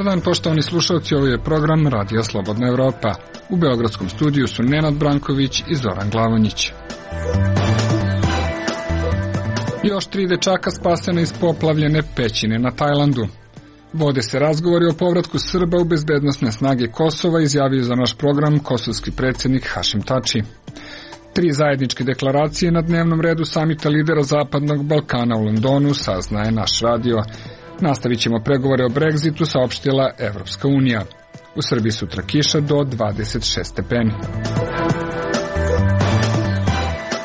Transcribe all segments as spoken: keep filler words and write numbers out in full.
dan, poštovani slušalci, ovo je program Radija Slobodna Evropa. U beogradskom studiju su Nenad Branković i Zoran Glavonjić. Još tri dečaka spasena iz poplavljene pećine na Tajlandu. Vode se razgovori o povratku Srba u bezbednosne snage Kosova, izjavio za naš program kosovski predsjednik Hašim Tači. Tri zajedničke deklaracije na dnevnom redu samita lidera Zapadnog Balkana u Londonu, saznaje naš radio. Nastavit ćemo pregovore o Brexitu, saopštila Evropska unija. U Srbiji sutra kiša do dvadeset šest stepeni.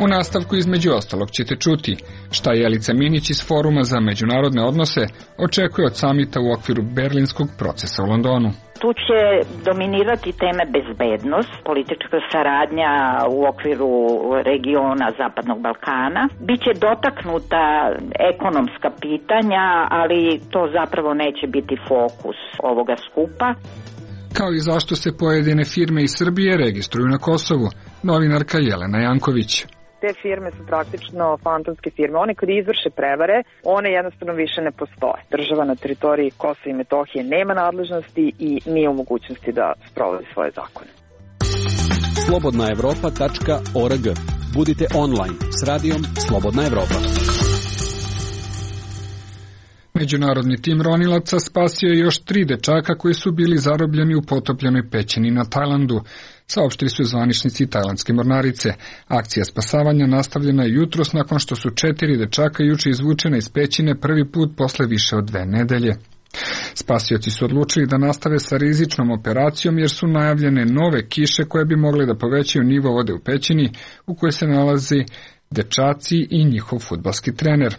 U nastavku između ostalog ćete čuti šta Jelica Minić iz Foruma za međunarodne odnose očekuje od samita u okviru berlinskog procesa u Londonu. Tu će dominirati teme bezbednost, politička saradnja u okviru regiona Zapadnog Balkana. Biće dotaknuta ekonomska pitanja, ali to zapravo neće biti fokus ovoga skupa. Kao i zašto se pojedine firme iz Srbije registruju na Kosovu, novinarka Jelena Janković. Te firme su praktično fantomske firme. One kad izvrše prevare, one jednostavno više ne postoje. Država na teritoriji Kosova i Metohije nema nadležnosti i nije u mogućnosti da sprovodi svoje zakone. slobodna evropa tačka org. Budite online s radijom Slobodna Evropa. Međunarodni tim ronilaca spasio je još tri dečaka koji su bili zarobljeni u potopljenoj pećini na Tajlandu. Saopštili su zvaničnici tajlandske mornarice. Akcija spasavanja nastavljena je jutros nakon što su četiri dečaka juče izvučena iz pećine prvi put posle više od dve nedelje. Spasioci su odlučili da nastave sa rizičnom operacijom jer su najavljene nove kiše koje bi mogle da povećaju nivo vode u pećini u kojoj se nalazi dečaci i njihov fudbalski trener.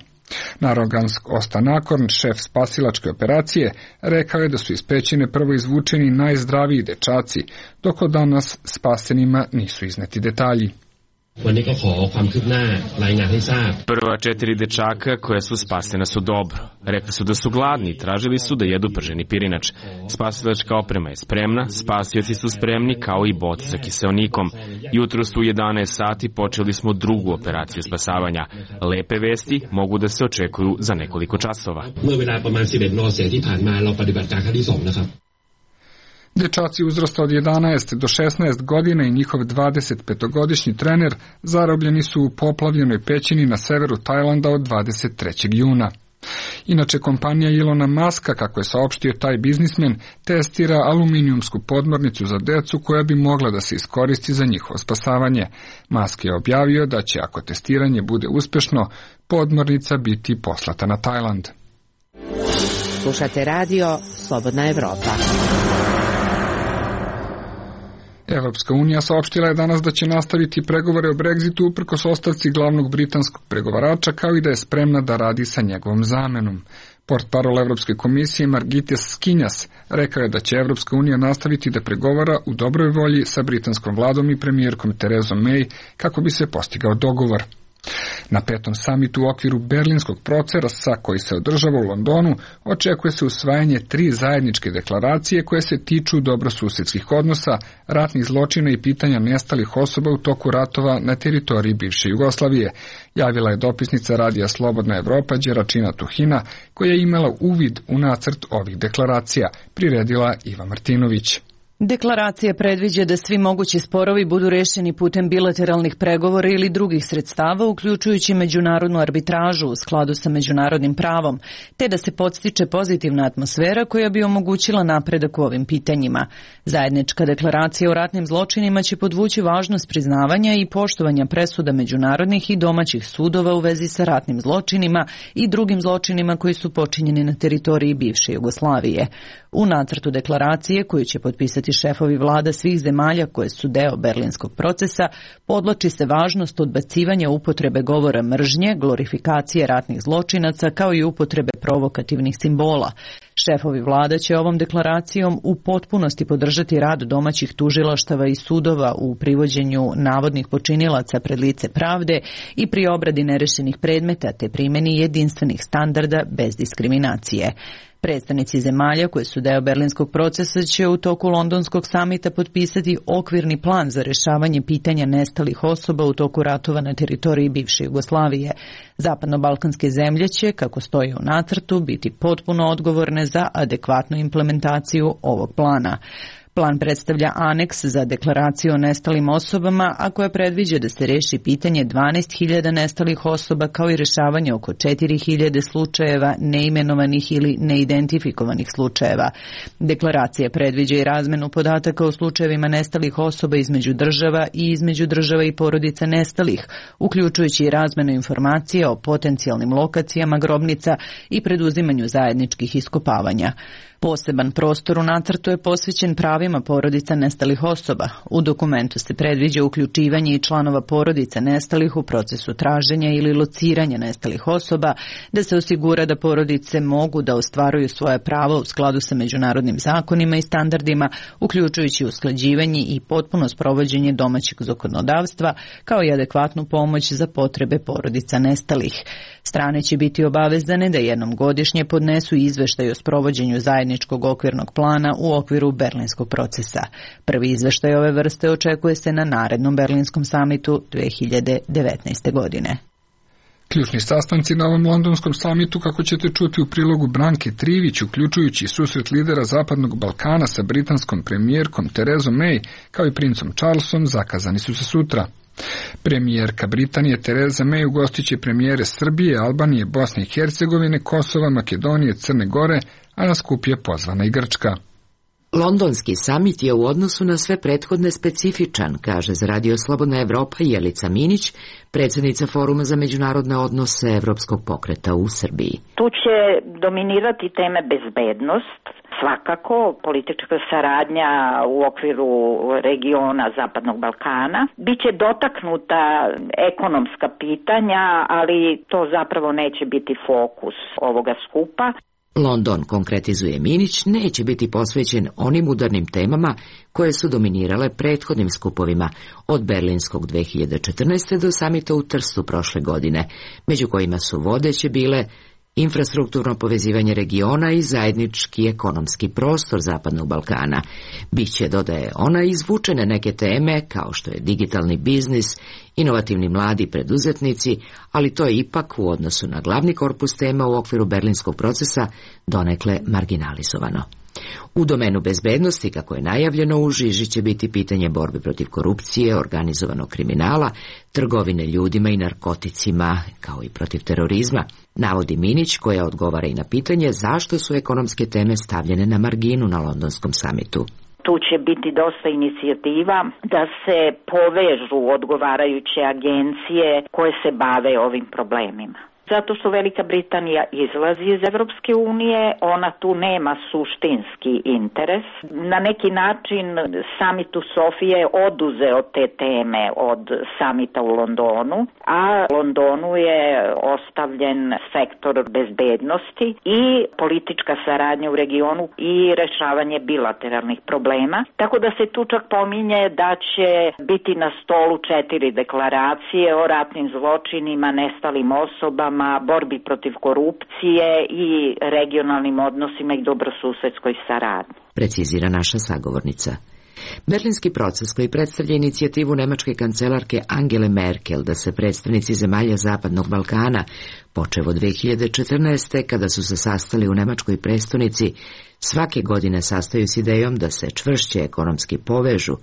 Narogansk Ostanakorn, šef spasilačke operacije, rekao je da su iz pećine prvo izvučeni najzdraviji dečaci, dok od danas spasenima nisu izneti detalji. Prva četiri dečaka koja su spasena su dobro. Rekli su da su gladni i tražili su da jedu prženi pirinač. Spasilačka oprema je spremna, spasioci su spremni kao i bot sa kiseonikom. Jutros u jedanaest sati počeli smo drugu operaciju spasavanja. Lepe vesti mogu da se očekuju za nekoliko časova. Dečaci uzrasta od jedanaest do šesnaest godina i njihov dvadesetpetogodišnji trener zarobljeni su u poplavljenoj pećini na severu Tajlanda od dvadeset trećeg juna. Inače, kompanija Ilona Maska, kako je saopštio taj biznismen, testira aluminijumsku podmornicu za decu koja bi mogla da se iskoristi za njihovo spasavanje. Musk je objavio da će, ako testiranje bude uspešno, podmornica biti poslata na Tajland. Slušate radio Slobodna Evropa. Evropska unija saopštila je danas da će nastaviti pregovore o Brexitu uprkos ostavci glavnog britanskog pregovarača, kao i da je spremna da radi sa njegovom zamenom. Portparol Evropske komisije Margites Skinjas rekao je da će Evropska unija nastaviti da pregovara u dobroj volji sa britanskom vladom i premijerkom Terezom May kako bi se postigao dogovor. Na petom samitu u okviru berlinskog procesa koji se održava u Londonu očekuje se usvajanje tri zajedničke deklaracije koje se tiču dobrosusedskih odnosa, ratnih zločina i pitanja nestalih osoba u toku ratova na teritoriji bivše Jugoslavije, javila je dopisnica Radija Slobodna Evropa Đeračina Tuhina, koja je imala uvid u nacrt ovih deklaracija, priredila Iva Martinović. Deklaracija predviđa da svi mogući sporovi budu rešeni putem bilateralnih pregovora ili drugih sredstava, uključujući međunarodnu arbitražu u skladu sa međunarodnim pravom, te da se podstiče pozitivna atmosfera koja bi omogućila napredak u ovim pitanjima. Zajednička deklaracija o ratnim zločinima će podvući važnost priznavanja i poštovanja presuda međunarodnih i domaćih sudova u vezi sa ratnim zločinima i drugim zločinima koji su počinjeni na teritoriji bivše Jugoslavije. U nacrtu deklaracije, koju će potpisati šefovi vlada svih zemalja koje su deo berlinskog procesa, podvlači se važnost odbacivanja upotrebe govora mržnje, glorifikacije ratnih zločinaca, kao i upotrebe provokativnih simbola. Šefovi vlada će ovom deklaracijom u potpunosti podržati rad domaćih tužilaštava i sudova u privođenju navodnih počinilaca pred lice pravde i pri obradi nerešenih predmeta te primjeni jedinstvenih standarda bez diskriminacije. Predstavnici zemalja koje su deo berlinskog procesa će u toku londonskog samita potpisati okvirni plan za rešavanje pitanja nestalih osoba u toku ratova na teritoriji bivše Jugoslavije. Zapadno-balkanske zemlje će, kako stoji u nacrtu, biti potpuno odgovorne za adekvatnu implementaciju ovog plana. Plan predstavlja aneks za deklaraciju o nestalim osobama, a koja predviđa da se reši pitanje dvanaest hiljada nestalih osoba kao i rešavanje oko četiri hiljade slučajeva neimenovanih ili neidentifikovanih slučajeva. Deklaracija predviđa i razmenu podataka o slučajevima nestalih osoba između država i između država i porodica nestalih, uključujući i razmenu informacija o potencijalnim lokacijama grobnica i preduzimanju zajedničkih iskopavanja. Poseban prostor u nacrtu je posvećen pravima porodica nestalih osoba. U dokumentu se predviđa uključivanje i članova porodica nestalih u procesu traženja ili lociranja nestalih osoba, da se osigura da porodice mogu da ostvaruju svoje pravo u skladu sa međunarodnim zakonima i standardima, uključujući usklađivanje i potpuno sprovođenje domaćeg zakonodavstva, kao i adekvatnu pomoć za potrebe porodica nestalih. Strane će biti obavezane da jednom godišnje podnesu izveštaj o sprovođenju zajedničkog okvirnog plana u okviru berlinskog procesa. Prvi izveštaj ove vrste očekuje se na narednom berlinskom samitu dve hiljade devetnaeste. godine. Ključni sastanci na ovom londonskom samitu, kako ćete čuti u prilogu Branke Trivić, uključujući susret lidera Zapadnog Balkana sa britanskom premijerkom Terezom May, kao i princom Charlesom, zakazani su za sutra. Premijerka Britanije Tereza May ugostit će premijere Srbije, Albanije, Bosne i Hercegovine, Kosova, Makedonije, Crne Gore, a na skup je pozvana i Grčka. Londonski samit je u odnosu na sve prethodne specifičan, kaže za Radio Slobodna Evropa Jelica Minić, predsjednica Foruma za međunarodne odnose Evropskog pokreta u Srbiji. Tu će dominirati teme bezbednost, svakako politička saradnja u okviru regiona Zapadnog Balkana. Biće dotaknuta ekonomska pitanja, ali to zapravo neće biti fokus ovoga skupa. London, konkretizuje Minić, neće biti posvećen onim udarnim temama koje su dominirale prethodnim skupovima, od berlinskog dve hiljade četrnaeste. do samita u Trstu prošle godine, među kojima su vodeće bile infrastrukturno povezivanje regiona i zajednički ekonomski prostor Zapadnog Balkana. Biće, dodaje ona, izvučene neke teme kao što je digitalni biznis, inovativni mladi preduzetnici, ali to je ipak u odnosu na glavni korpus tema u okviru berlinskog procesa donekle marginalizovano. U domenu bezbednosti, kako je najavljeno, u žiži će biti pitanje borbe protiv korupcije, organizovanog kriminala, trgovine ljudima i narkoticima, kao i protiv terorizma, navodi Minić, koja odgovara i na pitanje zašto su ekonomske teme stavljene na marginu na londonskom samitu. Tu će biti dosta inicijativa da se povežu odgovarajuće agencije koje se bave ovim problemima. Zato što Velika Britanija izlazi iz Evropske unije, ona tu nema suštinski interes. Na neki način samit u Sofiji je oduzeo te teme od samita u Londonu, a Londonu je ostavljen sektor bezbednosti i politička saradnja u regionu i rešavanje bilateralnih problema. Tako da se tu čak pominje da će biti na stolu četiri deklaracije o ratnim zločinima, nestalim osobama, borbi protiv korupcije i regionalnim odnosima i dobrosusedskoj saradnji. Precizira naša sagovornica. Berlinski proces, koji predstavlja inicijativu nemačke kancelarke Angele Merkel da se predstavnici zemalja Zapadnog Balkana, počev od dve hiljade četrnaeste. kada su se sastali u nemačkoj prestonici, svake godine sastaju s idejom da se čvršće ekonomski povežu.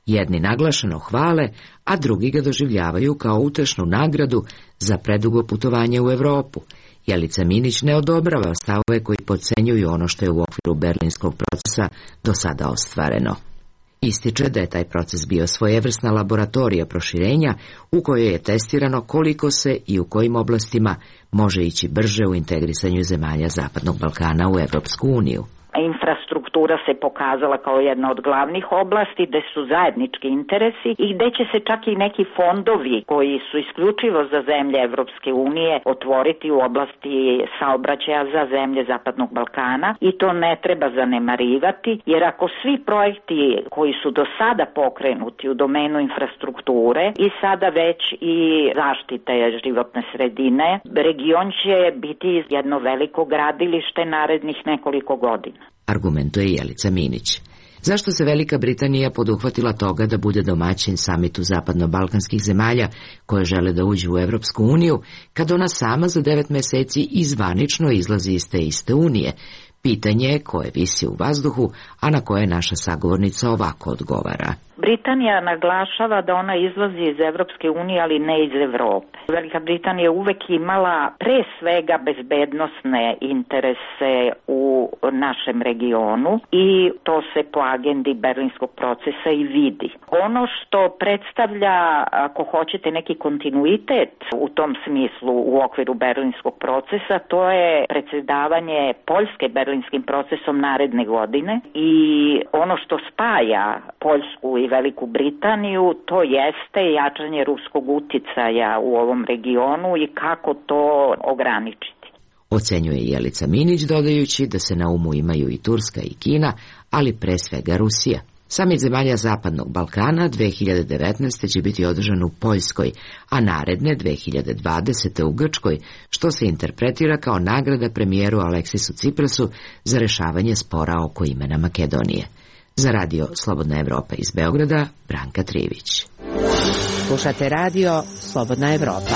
Jedni naglašeno hvale, a drugi ga doživljavaju kao utešnu nagradu za predugo putovanje u Evropu. Jelica Minić ne odobrava stavove koji podcenjuju ono što je u okviru berlinskog procesa do sada ostvareno. Ističe da je taj proces bio svojevrsna laboratorija proširenja u kojoj je testirano koliko se i u kojim oblastima može ići brže u integrisanju zemalja Zapadnog Balkana u Evropsku uniju. Infrastruktura infrastruktura se pokazala kao jedna od glavnih oblasti gde su zajednički interesi i gde će se čak i neki fondovi koji su isključivo za zemlje Evropske unije otvoriti u oblasti saobraćaja za zemlje Zapadnog Balkana i to ne treba zanemarivati, jer ako svi projekti koji su do sada pokrenuti u domenu infrastrukture i sada već i zaštite životne sredine, region će biti jedno veliko gradilište narednih nekoliko godina. Argumentuje Jelica Minić. Zašto se Velika Britanija poduhvatila toga da bude domaćin samitu zapadno-balkanskih zemalja koje žele da uđu u Evropsku uniju, kad ona sama za devet meseci izvanično izlazi iz te iste unije? Pitanje je koje visi u vazduhu, a na koje naša sagovornica ovako odgovara. Britanija naglašava da ona izlazi iz Evropske unije, ali ne iz Evrope. Velika Britanija je uvek imala pre svega bezbednosne interese u našem regionu i to se po agendi Berlinskog procesa i vidi. Ono što predstavlja, ako hoćete, neki kontinuitet u tom smislu u okviru Berlinskog procesa, to je predsedavanje Poljske Berlinskim procesom naredne godine i ono što spaja Poljsku i Veliku Britaniju, to jeste jačanje ruskog uticaja u ovom regionu i kako to ograničiti. Ocenjuje Jelica Minić, dodajući da se na umu imaju i Turska i Kina, ali pre svega Rusija. Samit zemalja Zapadnog Balkana dve hiljade devetnaeste. će biti održan u Poljskoj, a naredne dve hiljade dvadesete. u Grčkoj, što se interpretira kao nagrada premijeru Aleksisu Ciprasu za rešavanje spora oko imena Makedonije. Za radio Slobodna Evropa iz Beograda, Branka Trivić. Slušate radio Slobodna Evropa.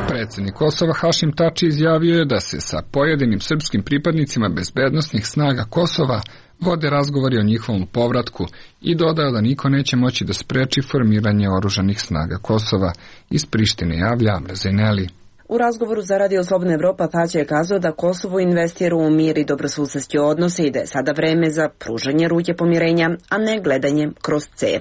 Predsjednik Kosova Hašim Tači izjavio je da se sa pojedinim srpskim pripadnicima bezbednosnih snaga Kosova vode razgovori o njihovom povratku i dodao da niko neće moći da spreči formiranje oružanih snaga Kosova. Iz Prištine javlja Amra Zeneli. U razgovoru za Radio Slobodna Evropa Tači je kazao da Kosovo investira u mir i dobrosusedske odnose i da je sada vreme za pružanje ruke pomirenja, a ne gledanje kroz cev.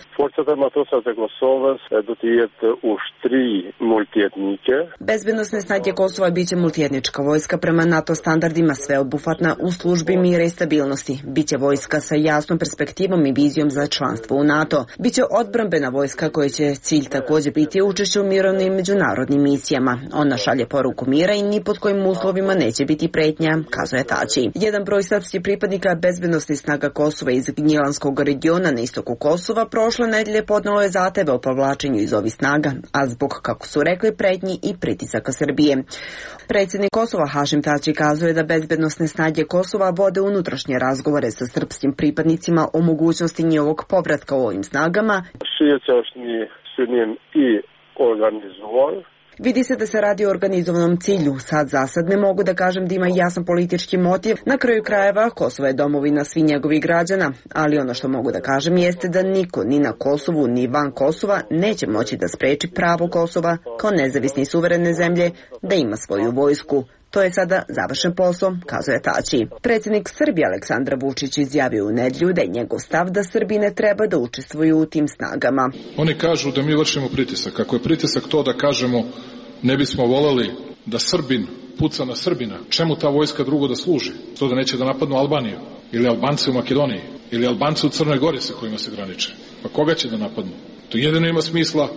Bezbednosne snage Kosova biće multietnička vojska prema NATO standardima, sveobuhvatna u službi mira i stabilnosti. Biće vojska sa jasnom perspektivom i vizijom za članstvo u NATO. Biće odbrambena vojska koja će cilj takođe biti učešće u mirovnim međunarodnim misijama. Ona šalje poruku mira i ni pod kojim uslovima neće biti pretnja, kazuje Tači. Jedan broj srpskih pripadnika bezbednosnih snaga Kosova iz Gnjilanskog regiona na istoku Kosova prošle nedelje podnelo je zahteve o povlačenju iz ovih snaga, a zbog, kako su rekli, pretnji i pritisaka Srbije. Predsjednik Kosova Hašim Tači kazuje da bezbednosne snage Kosova vode unutrašnje razgovore sa srpskim pripadnicima o mogućnosti njihovog povratka u ovim snagama. Vidi se da se radi o organizovanom cilju. Sad za sad ne mogu da kažem da ima jasan politički motiv. Na kraju krajeva Kosovo je domovina svih njegovih građana, ali ono što mogu da kažem jeste da niko ni na Kosovu ni van Kosova neće moći da spreči pravo Kosova kao nezavisne i suverene zemlje da ima svoju vojsku. To je sada završen posao, kazuje Tači. Predsjednik Srbije Aleksandar Vučić izjavio u nedjelju da je njegov stav da Srbi ne treba da učestvuju u tim snagama. Oni kažu da mi vršimo pritisak. Ako je pritisak to da kažemo ne bismo voleli da Srbin puca na Srbina, čemu ta vojska drugo da služi? To da neće da napadnu Albaniju ili Albance u Makedoniji ili Albance u Crnoj Gori sa kojima se graniče. Pa koga će da napadnu? To jedino ima smisla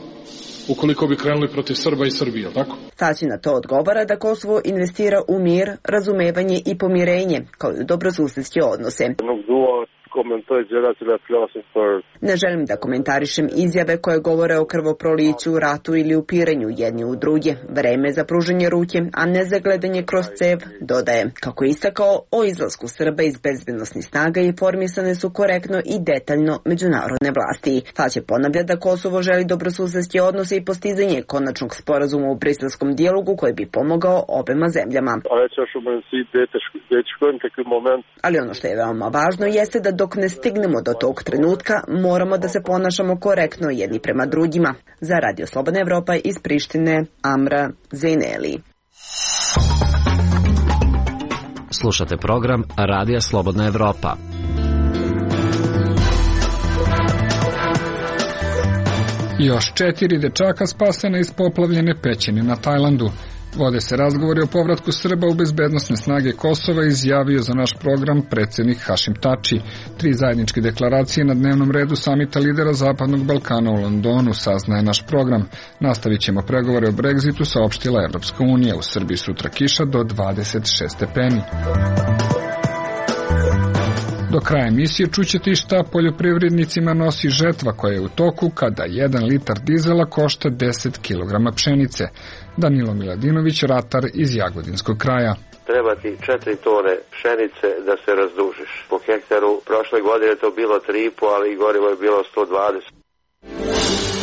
ukoliko bi krenuli protiv Srba i Srbije, tako? Tači na to odgovara da Kosovo investira u mir, razumevanje i pomirenje, kao i u dobrosusedske odnose. Ne želim da komentarišem izjave koje govore o krvoproliću, ratu ili upiranju jedni u druge. Vreme za pružanje ruke, a ne za gledanje kroz cev, dodaje. Kako je istakao, o izlasku Srba iz bezbednosnih snaga informisane su korektno i detaljno međunarodne vlasti. Tači ponavlja da Kosovo želi dobrosusedske odnose i postizanje konačnog sporazuma u briselskom dijalogu koji bi pomogao obema zemljama. Ali ono što je veoma važno jeste da dok ne stignemo do tog trenutka, moramo da se ponašamo korektno jedni prema drugima. Za Radio Slobodna Evropa iz Prištine, Amra Zeneli. Slušate program Radija Slobodna Evropa. Još četiri dečaka spasena iz poplavljene pećine na Tajlandu. Vode se razgovori o povratku Srba u bezbednosne snage Kosova, izjavio za naš program predsjednik Hašim Tači. Tri zajedničke deklaracije na dnevnom redu samita lidera Zapadnog Balkana u Londonu, saznaje naš program. Nastavit ćemo pregovore o Brexitu, saopštila Evropska unija. U Srbiji sutra kiša do dvadeset šest stepeni. Do kraja emisije čućete i šta poljoprivrednicima nosi žetva koja je u toku kada jedan litar dizela košta deset kilograma pšenice. Danilo Miladinović, ratar iz Jagodinskog kraja. Treba ti četiri tone pšenice da se razdužiš. Po hektaru prošle godine je to bilo tri i po, ali gorivo je bilo sto dvadeset.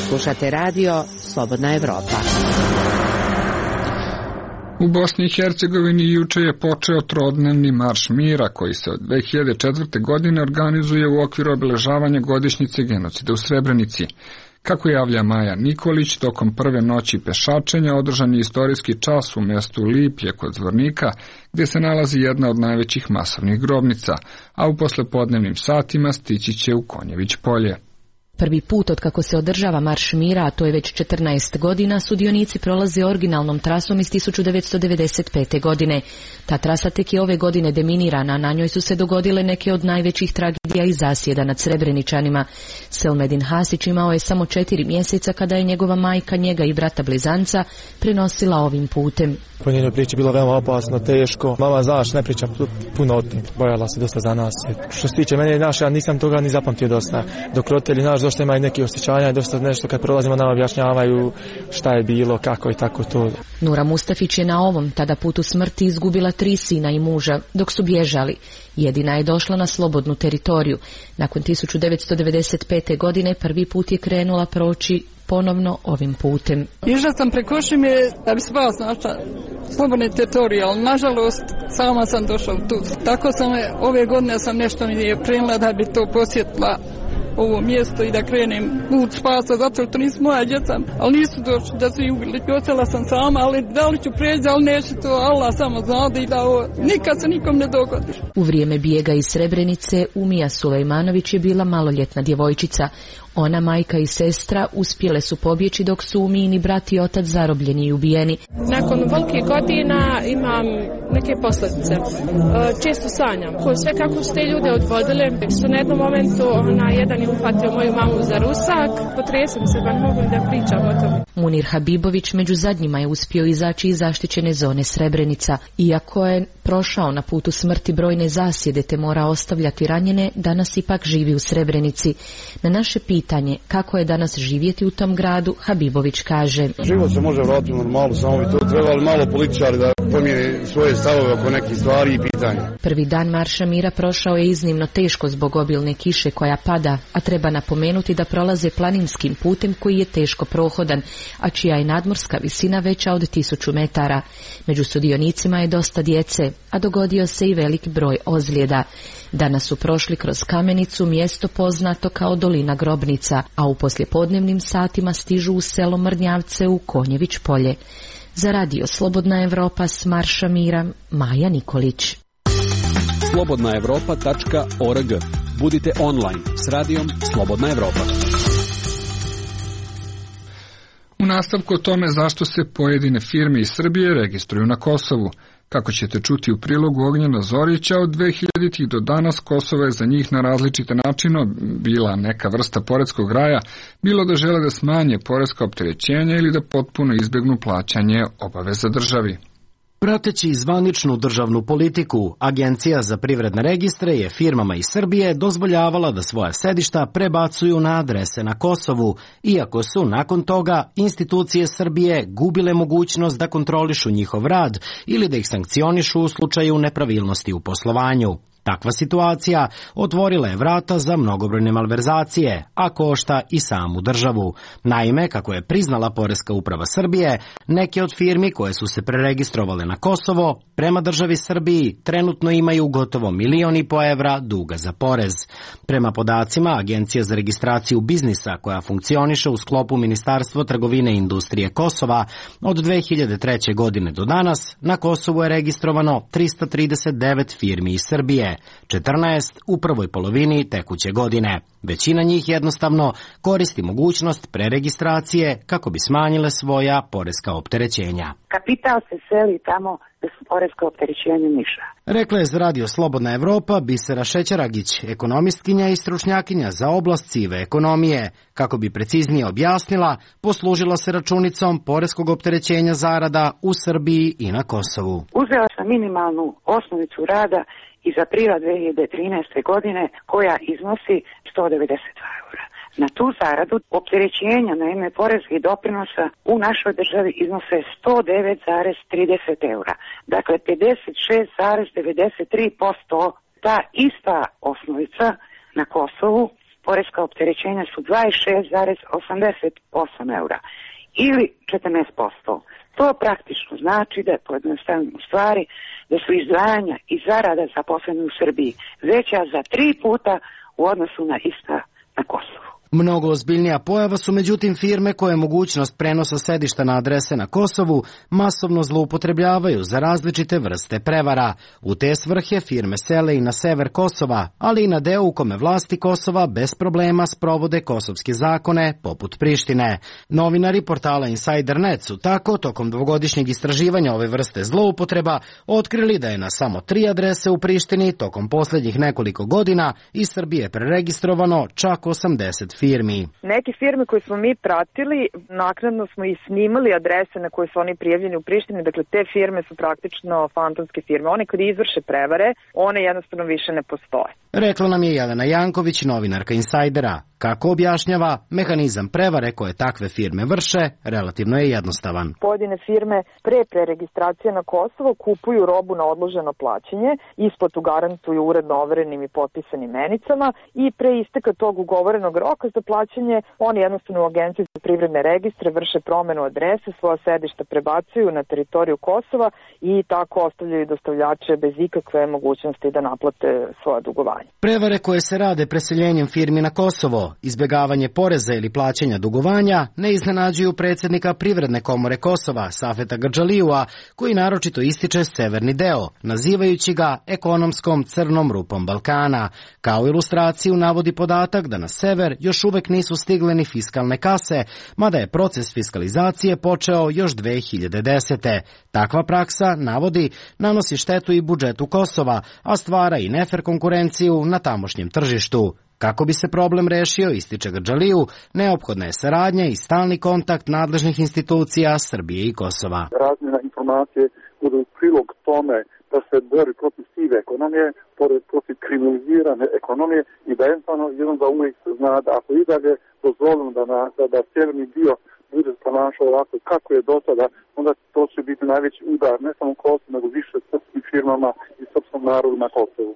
Slušate radio Slobodna Evropa. U Bosni i Hercegovini juče je počeo trodnevni marš mira koji se od dve hiljade četvrte. godine organizuje u okviru obeležavanja godišnjice genocida u Srebrenici. Kako javlja Maja Nikolić, tokom prve noći pešačenja održan je istorijski čas u mjestu Liplje kod Zvornika, gdje se nalazi jedna od najvećih masovnih grobnica, a u poslepodnevnim satima stići će u Konjević polje. Prvi put od kako se održava Marš mira, a to je već četrnaest godina, sudionici prolaze originalnom trasom iz tisuću devetsto devedeset pete. godine. Ta trasa tek je ove godine deminirana, a na njoj su se dogodile neke od najvećih tragedija i zasjeda nad Srebreničanima. Selmedin Hasić imao je samo četiri mjeseca kada je njegova majka, njega i brata blizanca prenosila ovim putem. Po njenoj priči bilo veoma opasno, teško. Mama, znaš, ne pričam puno o tim. Bojala se dosta za nas. Što se tiče mene, naš, ja nisam toga ni zapamtio dosta. Dok roditelji, naš, dosta imaju neki osjećanja i dosta nešto kad prolazimo nam objašnjavaju šta je bilo, kako i tako to. Nura Mustafić je na ovom tada putu smrti izgubila tri sina i muža dok su bježali. Jedina je došla na slobodnu teritoriju. Nakon tisuću devetsto devedeset pete. godine prvi put je krenula proći ponovno ovim putem. Išla sam preko Šime da bi spas našla slobodne teritorije, ali nažalost sama sam došla tu. Tako sam ove godine sam nešto mi je prenula da bi to posjetila ovo mjesto i da krenem put spasa, zato što nisu moja djeca, ali nisu došli da su ih ubili. Ostala sam sama, ali da li ću preći, ali neće to, Allah samo zna da i da ovo nikad se nikom ne dogodi. U vrijeme bijega iz Srebrenice Umija Sulejmanović je bila maloljetna djevojčica. Ona, majka i sestra uspjele su pobjeći dok su Umijini brat i otac zarobljeni i ubijeni. Nakon velikih godina imam neke posljedice. Često sanjam. Sve kako su te ljude odvodile, su na jednom momentu na jedan je uhvatio moju mamu za rusak. Potresem se, ba ne mogu da pričam o tome. Munir Habibović među zadnjima je uspio izaći iz zaštićene zone Srebrenica. Iako je prošao na putu smrti brojne zasjede te mora ostavljati ranjene, danas ipak živi u Srebrenici. Na naše pitanje kako je danas živjeti u tom gradu, Habibović kaže: Život se može vratiti normalno, samo bi to trebali malo političari da pomijene svoje stavove oko nekih stvari i pitanja. Prvi dan Marša mira prošao je iznimno teško zbog obilne kiše koja pada, a treba napomenuti da prolaze planinskim putem koji je teško prohodan, a čija je nadmorska visina veća od tisuću metara. Među sudionicima je dosta djece, a dogodio se i velik broj ozljeda. Danas su prošli kroz Kamenicu, mjesto poznato kao Dolina grobnica, a u poslijepodnevnim satima stižu u selo Mrnjavce u Konjević polje. Za radio Slobodna Evropa s Marša mira, Maja Nikolić. slobodna evropa tačka org. Budite online s radijom Slobodna Evropa. U nastavku o tome zašto se pojedine firme iz Srbije registruju na Kosovu. Kako ćete čuti u prilogu Ognjena Zorića, od dve hiljaditih do danas Kosovo je za njih na različite načine bila neka vrsta poreskog raja, bilo da žele da smanje poreska opterećenja ili da potpuno izbjegnu plaćanje obaveza državi. Prateći zvaničnu državnu politiku, Agencija za privredne registre je firmama iz Srbije dozvoljavala da svoja sedišta prebacuju na adrese na Kosovu, iako su nakon toga institucije Srbije gubile mogućnost da kontrolišu njihov rad ili da ih sankcionišu u slučaju nepravilnosti u poslovanju. Takva situacija otvorila je vrata za mnogobrojne malverzacije, a košta i samu državu. Naime, kako je priznala Poreska uprava Srbije, neke od firmi koje su se preregistrovale na Kosovo, prema državi Srbiji trenutno imaju gotovo milion i po evra duga za porez. Prema podacima Agencije za registraciju biznisa, koja funkcioniše u sklopu Ministarstva trgovine i industrije Kosova, od dve hiljade treće. godine do danas na Kosovu je registrovano trista trideset devet firmi iz Srbije. četrnaest u prvoj polovini tekuće godine. Većina njih jednostavno koristi mogućnost preregistracije kako bi smanjile svoja poreska opterećenja. Kapital se seli tamo da su poreska opterećenja niža. Rekla je za Radio Slobodna Evropa Bisera Šećeragić, ekonomistkinja i stručnjakinja za oblast sive ekonomije. Kako bi preciznije objasnila, poslužila se računicom poreskog opterećenja zarada u Srbiji i na Kosovu. Uzela sam minimalnu osnovicu rada iz aprila dve hiljade trinaeste. godine koja iznosi sto devedeset dva eura. Na tu zaradu opterećenja na ime poreskih doprinosa u našoj državi iznose sto devet zarez trideset eura. Dakle, pedeset šest zarez devedeset tri posto. Ta ista osnovica na Kosovu, poreska opterećenja su dvadeset šest zarez osamdeset osam eura ili četrnaest posto. To praktično znači da je pojednostavljeno u stvari da su izdvajanja i zarada zaposleni u Srbiji veća za tri puta u odnosu na ista na Kosovu. Mnogo ozbiljnija pojava su međutim firme koje mogućnost prenosa sedišta na adrese na Kosovu masovno zloupotrebljavaju za različite vrste prevara. U te svrhe firme sele i na sever Kosova, ali i na deo u kome vlasti Kosova bez problema sprovode kosovske zakone, poput Prištine. Novinari portala Insider net su tako, tokom dvogodišnjeg istraživanja ove vrste zloupotreba, otkrili da je na samo tri adrese u Prištini tokom posljednjih nekoliko godina iz Srbije preregistrovano čak osamdeset firmi. Neke firme koje smo mi pratili, naknadno smo i snimali adrese na koje su oni prijavljeni u Prištini, dakle te firme su praktično fantomske firme. One kad izvrše prevare, one jednostavno više ne postoje. Rekla nam je Jelena Janković, novinarka Insajdera. Kako objašnjava, mehanizam prevare koje takve firme vrše relativno je jednostavan. Pojedine firme pre preregistracije na Kosovo kupuju robu na odloženo plaćanje, isplatu garantuju uredno overenim i potpisanim menicama i pre isteka tog ugovorenog roka za plaćanje oni jednostavno u Agenciji za privredne registre vrše promenu adrese, svoja sedišta prebacuju na teritoriju Kosova i tako ostavljaju dostavljače bez ikakve mogućnosti da naplate svoja dugovanja. Prevare koje se rade preseljenjem firmi na Kosovo, izbjegavanje poreza ili plaćanja dugovanja ne iznenađuju predsjednika Privredne komore Kosova, Safeta Grdžalijua, koji naročito ističe severni deo, nazivajući ga ekonomskom crnom rupom Balkana. Kao ilustraciju navodi podatak da na sever još uvek nisu stigle ni fiskalne kase, mada je proces fiskalizacije počeo još dve hiljade desete. Takva praksa, navodi, nanosi štetu i budžetu Kosova, a stvara i nefer konkurenciju na tamošnjem tržištu. Kako bi se problem rešio, ističe Grdžaliju, neophodna je saradnja i stalni kontakt nadležnih institucija Srbije i Kosova. Razmjena informacije bude u prilog tome da se bori protiv sive ekonomije, protiv kriminalizirane ekonomije i da jednostavno jednom da uvijek se zna da ako i dalje dozvolimo da, na, da, da sjeverni dio bude ponašao ovako kako je do sada, onda to će biti najveći udar ne samo Kosovo, nego više srpskim firmama i srpskom narodu na Kosovu.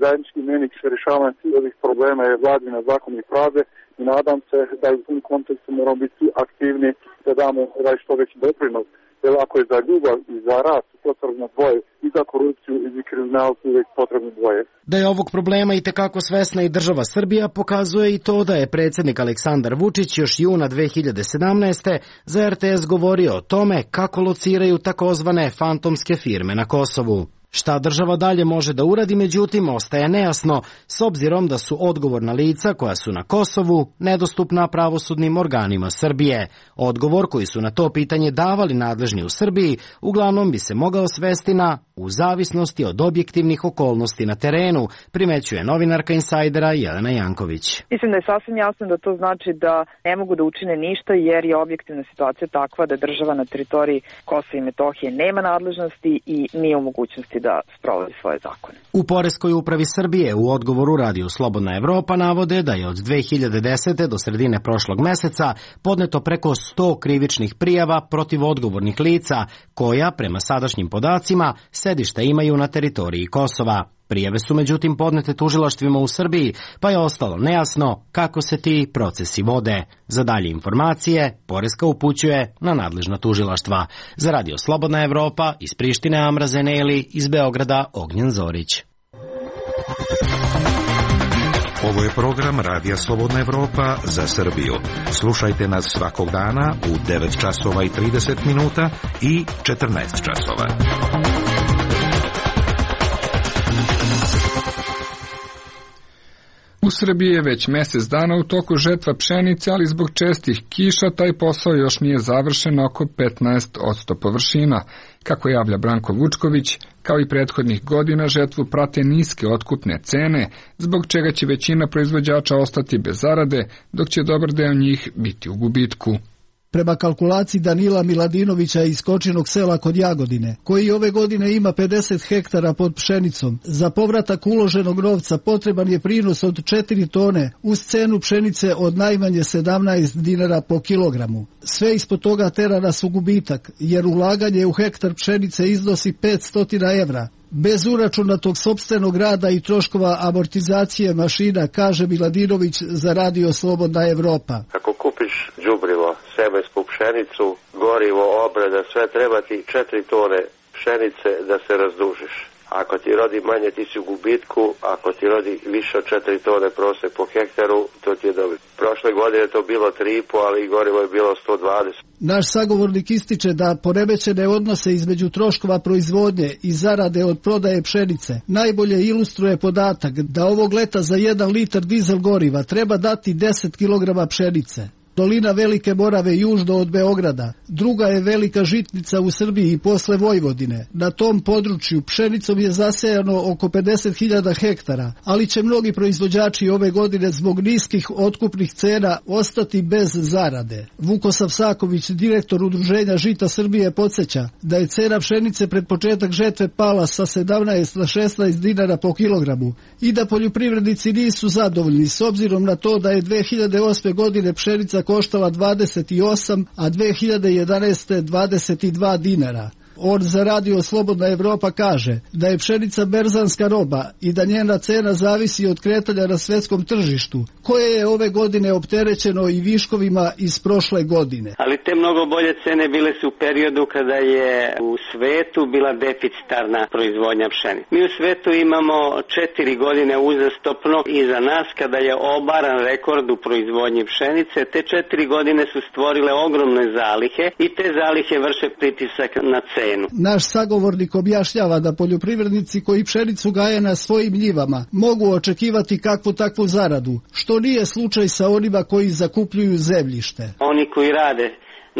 Zajednički imenik rješavanja svih ovih problema je vladina zakon i pravde i nadam se da u tom kontekstu moramo biti svi aktivni da damo ovaj što veći doprinos. Jer ako je za ljubav i za rast potrebno dvoje, i za korupciju i za kriminal su uvijek potrebno dvoje. Da je ovog problema i tekako svesna i država Srbija pokazuje i to da je predsjednik Aleksandar Vučić još juna dve hiljade sedamnaeste. za er te es govorio o tome kako lociraju takozvane fantomske firme na Kosovu. Šta država dalje može da uradi, međutim, ostaje nejasno, s obzirom da su odgovorna lica koja su na Kosovu nedostupna pravosudnim organima Srbije. Odgovor koji su na to pitanje davali nadležni u Srbiji uglavnom bi se mogao svesti na u zavisnosti od objektivnih okolnosti na terenu, primećuje novinarka Insajdera Jelena Janković. Mislim da je sasvim jasno da to znači da ne mogu da učine ništa jer je objektivna situacija takva da država na teritoriji Kosova i Metohije nema nadležnosti i nije u mogućnosti da sprovodi svoje zakone. U Poreskoj upravi Srbije u odgovoru Radiju Slobodna Evropa navode da je od dve hiljade desete. do sredine prošlog meseca podneto preko sto krivičnih prijava protiv odgovornih lica koja, prema sadašnjim podacima, sedišta imaju na teritoriji Kosova. Prijave su međutim podnete tužilaštvima u Srbiji, pa je ostalo nejasno kako se ti procesi vode. Za dalje informacije, Poreska upućuje na nadležna tužilaštva. Za Radio Slobodna Evropa, iz Prištine Amra Zeneli, iz Beograda Ognjen Zorić. Ovo je program Radija Slobodna Evropa za Srbiju. Slušajte nas svakog dana u devet časova i trideset minuta i četrnaest časova. U Srbiji je već mjesec dana u toku žetva pšenice, ali zbog čestih kiša taj posao još nije završen oko petnaest posto površina. Kako javlja Branko Vučković, kao i prethodnih godina žetvu prate niske otkupne cene, zbog čega će većina proizvođača ostati bez zarade, dok će dobar deo njih biti u gubitku. Prema kalkulaciji Danila Miladinovića iz Kočinog sela kod Jagodine, koji ove godine ima pedeset hektara pod pšenicom, za povratak uloženog novca potreban je prinos od četiri tone uz cenu pšenice od najmanje sedamnaest dinara po kilogramu. Sve ispod toga tera nas u gubitak, jer ulaganje u hektar pšenice iznosi petsto evra. Bez uračunatog sopstvenog rada i troškova amortizacije mašina, kaže Miladinović za Radio Slobodna Evropa. Ako kupiš đubrivo, semensku pšenicu, gorivo, obrada, sve treba ti četiri tone pšenice da se razdužiš. Ako ti rodi manje, ti si u gubitku, ako ti rodi više od četiri tone prosek po hektaru, to ti je dobro. Prošle godine to bilo tri i po, ali gorivo je bilo sto dvadeset. Naš sagovornik ističe da poremećene odnose između troškova proizvodnje i zarade od prodaje pšenice najbolje ilustruje podatak da ovog leta za jedan litar dizel goriva treba dati deset kilograma pšenice. Dolina Velike Morave južno od Beograda, druga je velika žitnica u Srbiji posle Vojvodine. Na tom području pšenicom je zasejano oko pedeset hiljada hektara, ali će mnogi proizvođači ove godine zbog niskih otkupnih cena ostati bez zarade. Vukosav Saković, direktor Udruženja Žita Srbije, podsjeća da je cena pšenice pred početak žetve pala sa sedamnaest na šesnaest dinara po kilogramu i da poljoprivrednici nisu zadovoljni s obzirom na to da je dve hiljade osme godine pšenica koštala dvadeset osam, a dve hiljade jedanaeste. dvadeset dva dinara. On za Radio Slobodna Evropa kaže da je pšenica berzanska roba i da njena cena zavisi od kretanja na svetskom tržištu, koje je ove godine opterećeno i viškovima iz prošle godine. Ali te mnogo bolje cene bile su u periodu kada je u svetu bila deficitarna proizvodnja pšenice. Mi u svetu imamo četiri godine uzastopno iza nas kada je obaran rekord u proizvodnji pšenice. Te četiri godine su stvorile ogromne zalihe i te zalihe vrše pritisak na cenu. Naš sagovornik objašnjava da poljoprivrednici koji pšenicu gaje na svojim njivama mogu očekivati kakvu takvu zaradu, što nije slučaj sa onima koji zakupljuju zemljište. Oni koji rade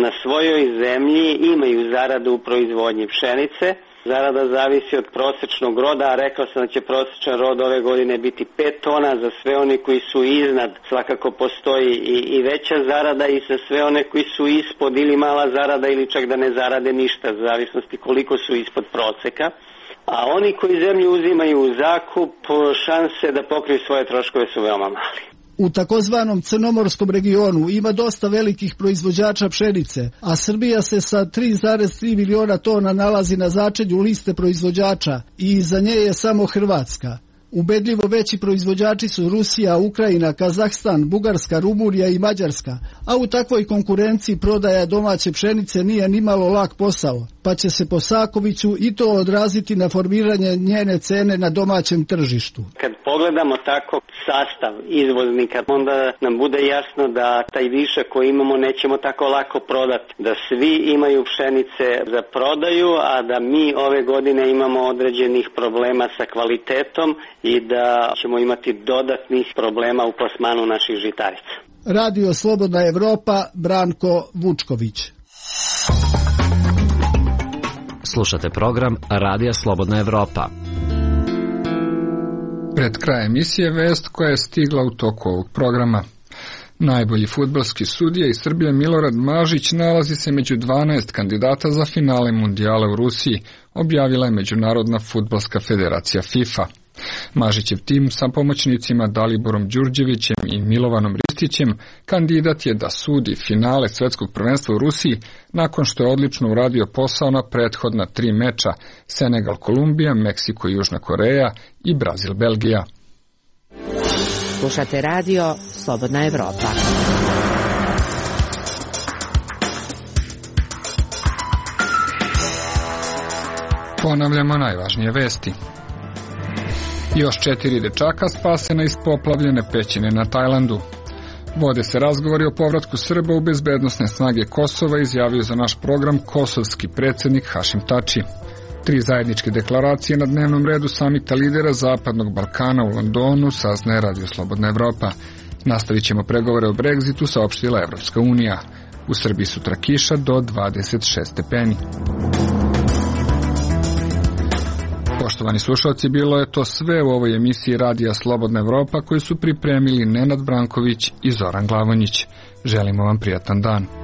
na svojoj zemlji imaju zaradu u proizvodnji pšenice. Zarada zavisi od prosečnog roda, a rekao sam da će prosečan rod ove godine biti pet tona. Za sve oni koji su iznad svakako postoji i, i veća zarada, i za sve one koji su ispod ili mala zarada ili čak da ne zarade ništa, u zavisnosti koliko su ispod proseka. A oni koji zemlju uzimaju u zakup, šanse da pokriju svoje troškove su veoma mali. U takozvanom crnomorskom regionu ima dosta velikih proizvođača pšenice, a Srbija se sa tri zarez tri miliona tona nalazi na začelju liste proizvođača i iza nje je samo Hrvatska. Ubedljivo veći proizvođači su Rusija, Ukrajina, Kazahstan, Bugarska, Rumunija i Mađarska, a u takvoj konkurenciji prodaja domaće pšenice nije nimalo lak posao, pa će se po Sakoviću i to odraziti na formiranje njene cene na domaćem tržištu. Kad pogledamo tako sastav izvoznika, onda nam bude jasno da taj višak koji imamo nećemo tako lako prodati, da svi imaju pšenice za prodaju, a da mi ove godine imamo određenih problema sa kvalitetom i da ćemo imati dodatnih problema u plasmanu naših žitarica. Radio Slobodna Evropa, Branko Vučković. Slušate program Radija Slobodna Evropa. Pred krajem emisije vest koja je stigla u toku ovog programa. Najbolji fudbalski sudija iz Srbije Milorad Mažić nalazi se među dvanaest kandidata za finale mundijala u Rusiji, objavila je Međunarodna fudbalska federacija FIFA. Mažićev tim sa pomoćnicima Daliborom Đurđevićem i Milovanom Ristićem kandidat je da sudi finale svetskog prvenstva u Rusiji nakon što je odlično uradio posao na prethodna tri meča Senegal Kolumbija, Meksiko Južna Koreja i Brazil Belgija. Slušate radio Slobodna Evropa. Ponavljamo najvažnije vesti. Još četiri dečaka spasena iz poplavljene pećine na Tajlandu. Vode se razgovori o povratku Srba u bezbednosne snage Kosova, izjavio za naš program kosovski predsjednik Hašim Tači. Tri zajedničke deklaracije na dnevnom redu samita lidera Zapadnog Balkana u Londonu, saznaje Radio Slobodna Evropa. Nastavit ćemo pregovore o Brexitu, saopštila Evropska unija. U Srbiji sutra kiša do dvadeset šest stepeni. Poštovani slušalci, bilo je to sve u ovoj emisiji Radija Slobodna Evropa koju su pripremili Nenad Branković i Zoran Glavonjić. Želimo vam prijatan dan.